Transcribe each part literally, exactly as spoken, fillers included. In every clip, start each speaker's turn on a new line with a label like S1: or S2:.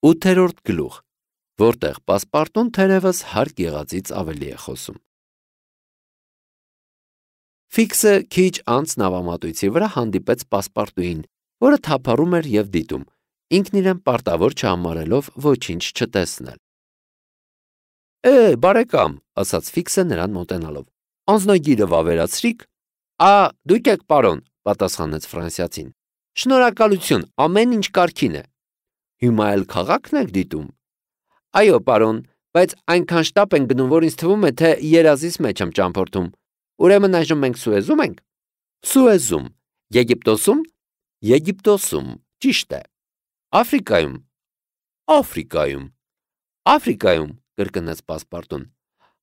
S1: Ութերորդ գլուխ, որտեղ պասպարտուն թերևս հարկ եղածից ավելի է խոսում։ Ֆիքսը քիչ անց նավամատույցի վրա հանդիպեց պասպարտուին, որը թափառում էր և դիտում, ինքն իրեն պարտավոր չհամարելով ոչինչ չտեսնել։ Է, բարեկամ, ասաց Ֆիքսը նրան մոտենալով, անձնագիրը վավերացրիք։ Ա, դուք եք, պարոն, պատասխանեց ֆրանսիացին։ Շնորհակալություն, ամեն ինչ կարգին է։ Հիմա էլ քաղաքն եք դիտում։ Այո, պարոն, բայց այնքան շտապ ենք գնում, որ ինձ թվում է, թե երազիս մեջ եմ ճամփորդում։ Ուրեմն այժմ մենք Սուեզում ենք։ Սուեզում։ Եգիպտոսում։ Եգիպտոսում, ճիշտ է։ Աֆրիկայում։ Աֆրիկայում։ Աֆրիկայում, կրկնեց պասպարտուն։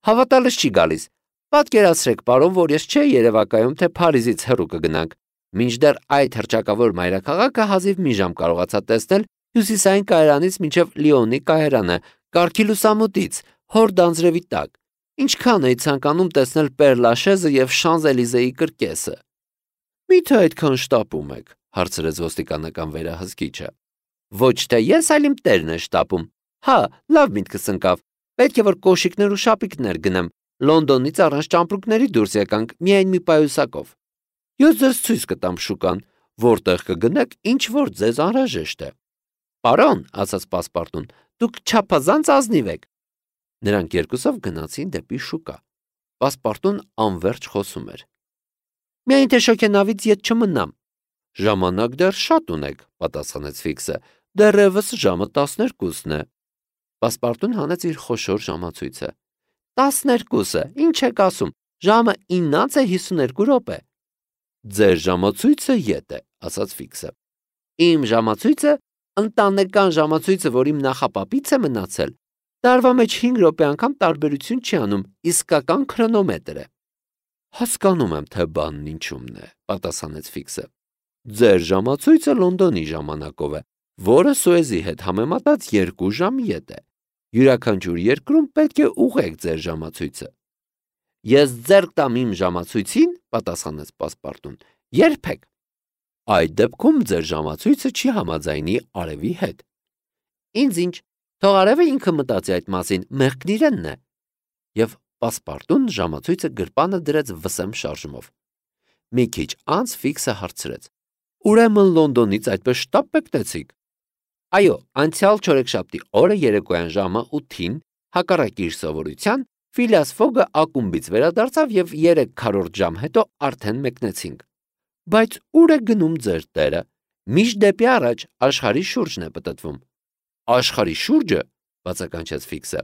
S1: Հավատալս չի գալիս։ Պատկերացրեք, պարոն, որ ես չէի երևակայում, թե Փարիզից հեռու կգնանք։ Մինչդեռ այդ հռչակավոր մայրաքաղաքը հազիվ մի ժամ կարողացա տեսնել հյուսիսային կայարանից մինչև Լիոնի կայարանը, կարգի լուսամուտից, հորդ անձրևի տակ։ Ինչքան էի ցանկանում տեսնել Պեր-Լաշեզը և Շանզելիզեի կրկեսը։ Մի՞թե այդքան շտապում եք, հարցրեց ոստիկանական վերահսկիչը։ Ոչ թե ես, այլ իմ տերն է շտապում։ Հա, լավ միտքս ընկավ։ Պետք է որ կոշիկներ ու շապիկներ գնեմ։ Լոնդոնից առանց ճամպրուկների դուրս եկանք միայն մի պայուսակով։ Ես ձեզ ցույց կտամ շուկան, որտեղ կգնեք, ինչ որ ձեզ անհրաժեշտ է։ Պարոն, ասաց պասպարտուն, դուք չափազանց ազնիվ եք։ Նրանք երկուսով գնացին դեպի շուկա։ Պասպարտուն անվերջ խոսում էր։ Միայն թե շոգենավից ետ չմնամ։ Ժամանակ դեռ շատ ունեք, պատասխանեց Ֆիքսը։ Դեռևս ժամը տասներկուսն է։ Պասպարտուն հանեց իր խոշոր ժամացույցը։ Տասներկուսը, ինչ եք ասում, ժամը իննից է հիսուներկու րոպե։ Ձեր ժամացույցը ետ է, ասաց Ֆիքսը։ Իմ ժամացույցը, ընտանեկան ժամացույցը, որ իմ նախապապից է մնացել, տարվա մեջ հինգ րոպե անգամ տարբերություն չի անում, իսկական քրոնոմետր է։ Հասկանում եմ, թե բանն ինչումն է, պատասխանեց Ֆիքսը։ Ձեր ժամացույցը Լոնդոնի ժամանակով է, որը Սուեզի հետ համեմատած երկու ժամ ետ է։ Յուրաքանչյուր երկրում պետք է ուղղեք ձեր ժամացույցը։ Ես ձեռք տամ իմ ժամացույցին, պատասխանեց պասպարտուն, երբեք։ Այդ դեպքում ձեր ժամացույցը չի համաձայնի արևի հետ։ Ինձ ինչ, թող արևը ինքը մտածի այդ մասին, մեղքն իրենն է։ Եվ պասպարտուն ժամացույցը գրպանը դրեց վսեմ շարժումով։ Մի քիչ անց Ֆիքսը հարցրեց. Ուրեմն Լոնդոնից այդպես շտապ մեկնեցիք։ Այո, անցյալ չորեքշաբթի օրը երեկոյան ժամը ութին, հակառակ իր սովորության, Ֆիլիաս Ֆոգը ակումբից վերադարձավ եւ երեք քառորդ ժամ հետո արդեն մեկնեցինք։ Բայց ուր է գնում ձեր տերը։ Միշտ դեպի առաջ աշխարհի շուրջն է պտտվում։ Աշխարհի շուրջը, բացականչեց Ֆիքսը։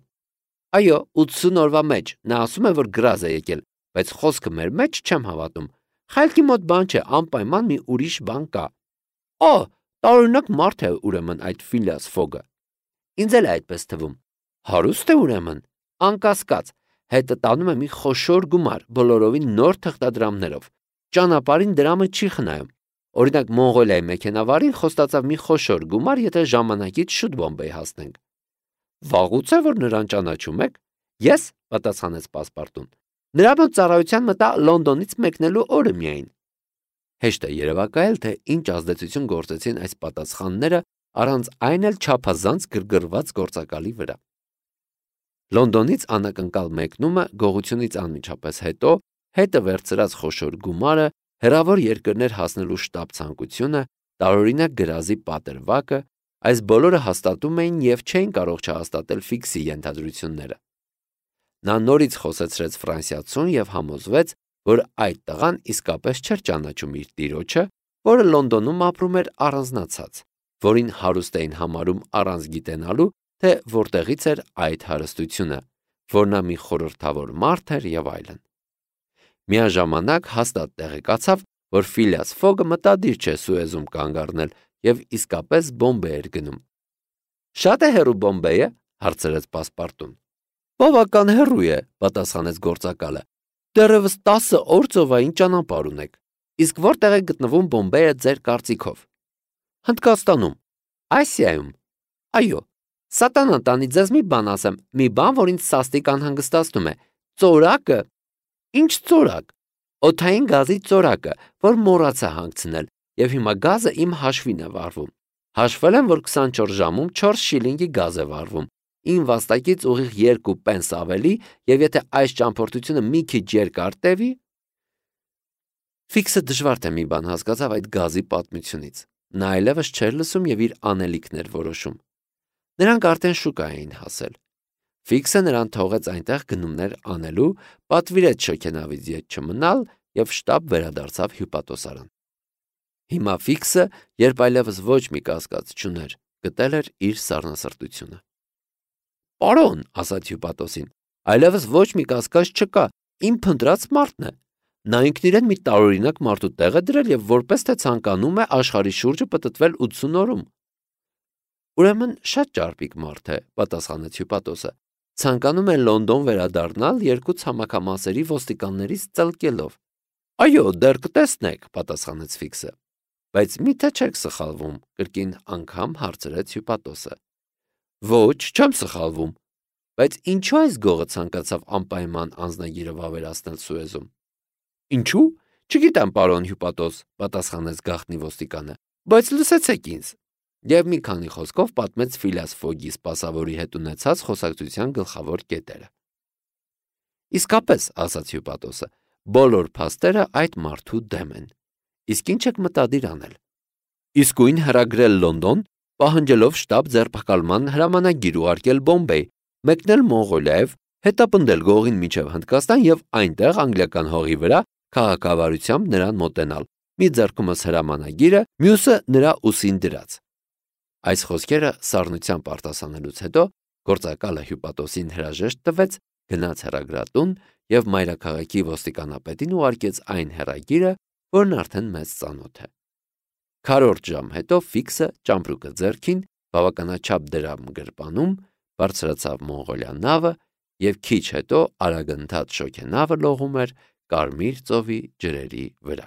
S1: Այո, ութսուն օրվա մեջ, նա ասում է, որ գրազ է եկել, բայց խոսքը մեր մեջ չեմ հավատում։ Խելքի մոտ բան չէ, անպայման մի ուրիշ բան կա։ Օ, տարօրինակ մարդ է ուրեմն այդ Ֆիլիաս Ֆոգը։ Ինձ էլ է այդպես թվում։ Հարուստ է ուրեմն, անկասկած, հետը տանում է մի խոշոր գումար, բոլորովին նոր թղթադրամներով։ Ճանապարհին դրամը չի խնայում։ Օրինակ Մոնղոլիայի մեքենավարին խոստացավ մի խոշոր գումար, եթե ժամանակից շուտ Բոմբեյ հասնենք։ Վաղուց է, որ նրան ճանաչում եք։ Ես, պատասխանեց պասպարտուն։ Նրա մոտ ծառայության մտա Լոնդոնից մեկնելու օրը միայն։ Հեշտ է երևակայել, թե ինչ ազդեցություն գործեցին այս պատասխանները առանց այն էլ չափազանց գրգռված գործակալի վրա։ Լոնդոնից անակնկալ մեկնումը գողությունից անմիջապես հետո, հետը վերցրած խոշոր գումարը, հեռավոր երկրներ հասնելու շտապ ցանկությունը, տարօրինակ գրազի պատրվակը, այս բոլորը հաստատում էին եւ չէին կարող չհաստատել Ֆիքսի ենթադրությունները։ Նա նորից խոսեցրեց ֆրանսիացուն եւ համոզվեց, որ այդ տղան իսկապես չէր ճանաչում իր տիրոջը, որը Լոնդոնում ապրում էր առանձնացած, որին հարուստ էին համարում առանց գիտենալու, թե որտեղից էր այդ հարստությունը, որ նա մի խորհրդավոր մարդ էր եւ այլն։ Միաժամանակ հաստատ տեղեկացավ, որ Ֆիլիաս Ֆոգը մտադիր չէ Սուեզում կանգ առնել եւ իսկապես Բոմբեյ էր գնում։ Շատ է հեռու Բոմբեյը, հարցրեց պասպարտուն։ Բավական հեռու է, պատասխանեց գործակալը։ Դեռևս տասը օր ծովային ճանապարհ ունեք։ Իսկ որտեղ է գտնվում Բոմբեյը ձեր կարծիքով։ Հնդկաստանում։ Ասիայում։ Այո։ Սատանան տանի ձեզ մի բան ասեմ, մի բան, որ ինձ սաստիկ անհանգստացնում է։ Ծորակը։ Ինչ ծորակ։ Օդային գազի ծորակը, որ մոռացա հանգցնել, եւ հիմա գազը իմ հաշվին է վարվում։ Հաշվել եմ, որ քսանչորս ժամում չորս շիլինգի գազ է վառվում, իմ վաստակից ուղիղ երկու պենս ավելի, եւ եթե այս ճամփորդությունը մի քիչ երկար տևի, Ֆիքսը դժվար թե մի բան հասկացավ այդ գազի պատմությունից։ Նա այլևս չէր լսում եւ իր անելիքն էր որոշում։ Նրանք արդեն շուկա էին հասել։ Ֆիքսը նրան թողեց այնտեղ գնումներ անելու, պատվիրեց շոգենավից ետ չմնալ եւ շտապ վերադարձավ հյուպատոսարան։ Հիմա Ֆիքսը, երբ այլևս ոչ մի կասկած չուներ, գտել էր իր սառնասրտությունը։ «Պարոն», ասաց հյուպատոսին, «այլևս ոչ մի կասկած չկա, իմ փնտրած մարդն է։ Նա ինքն իրեն մի տարօրինակ մարդու տեղ է դրել եւ որպես թե ցանկանում է աշխարհի շուրջը պտտվել ութսուն օրում»։ «Ուրեմն շատ ճարպիկ մարդ է», պատասխանեց հյուպատոսը։ «Ցանկանում է Լոնդոն վերադառնալ երկու ցամաքամասերի ոստիկաններից ծլկելով»։ «Այո, դեռ կտեսնեք», պատասխանեց Ֆիքսը։ «Բայց մի՞թե չեք սխալվում», կրկին անգամ հարցրեց հյուպատոսը։ «Ոչ, չեմ սխալվում։ Բայց ինչու այս գողը ցանկացավ անպայման անձնագիրը վավերացնել Սուեզում»։ «Ինչու՞, չգիտեմ, պարոն հյուպատոս», պատասխանեց գաղտնի ոստիկանը, «բայց լսեցեք ինձ»։ Եվ մի քանի խոսքով պատմեց Ֆիլիաս Ֆոգի սպասավորի հետ ունեցած խոսակցության գլխավոր կետերը։ «Իսկապես», ասաց հյուպատոսը, «բոլոր փաստերը այդ մարդու դեմ են։ Իսկ ինչ եք մտադիր անել»։ «Իսկույն հրագրել Լոնդոն, պահանջելով շտապ ձերբակալման հրամանագիր ուղարկել Բոմբեյ, մեկնել Մոնղոլիայով, հետապնդել գողին մինչև Հնդկաստան եւ այնտեղ անգլիական հողի վրա քաղաքավարությամբ նրան մոտենալ, մի ձեռքումս հրամանագիրը, մյուսը նրա ուսին դրած»։ Այս խոսքերը սառնությամբ արտասանելուց հետո գործակալը հյուպատոսին հրաժեշտ տվեց, գնաց հեռագրատուն եւ մայրաքաղաքի ոստիկանապետին ուղարկեց այն հեռագիրը, որն արդեն մեծ ծանոթ է։ Քառորդ ժամ հետո Ֆիքսը ճամպրուկը ձեռքին, բավականաչափ դրամ գրպանում, բարձրացավ Մոնղոլիա նավը եւ քիչ հետո արագընթաց շոգենավը լողում էր Կարմիր ծովի ջրերի վրա։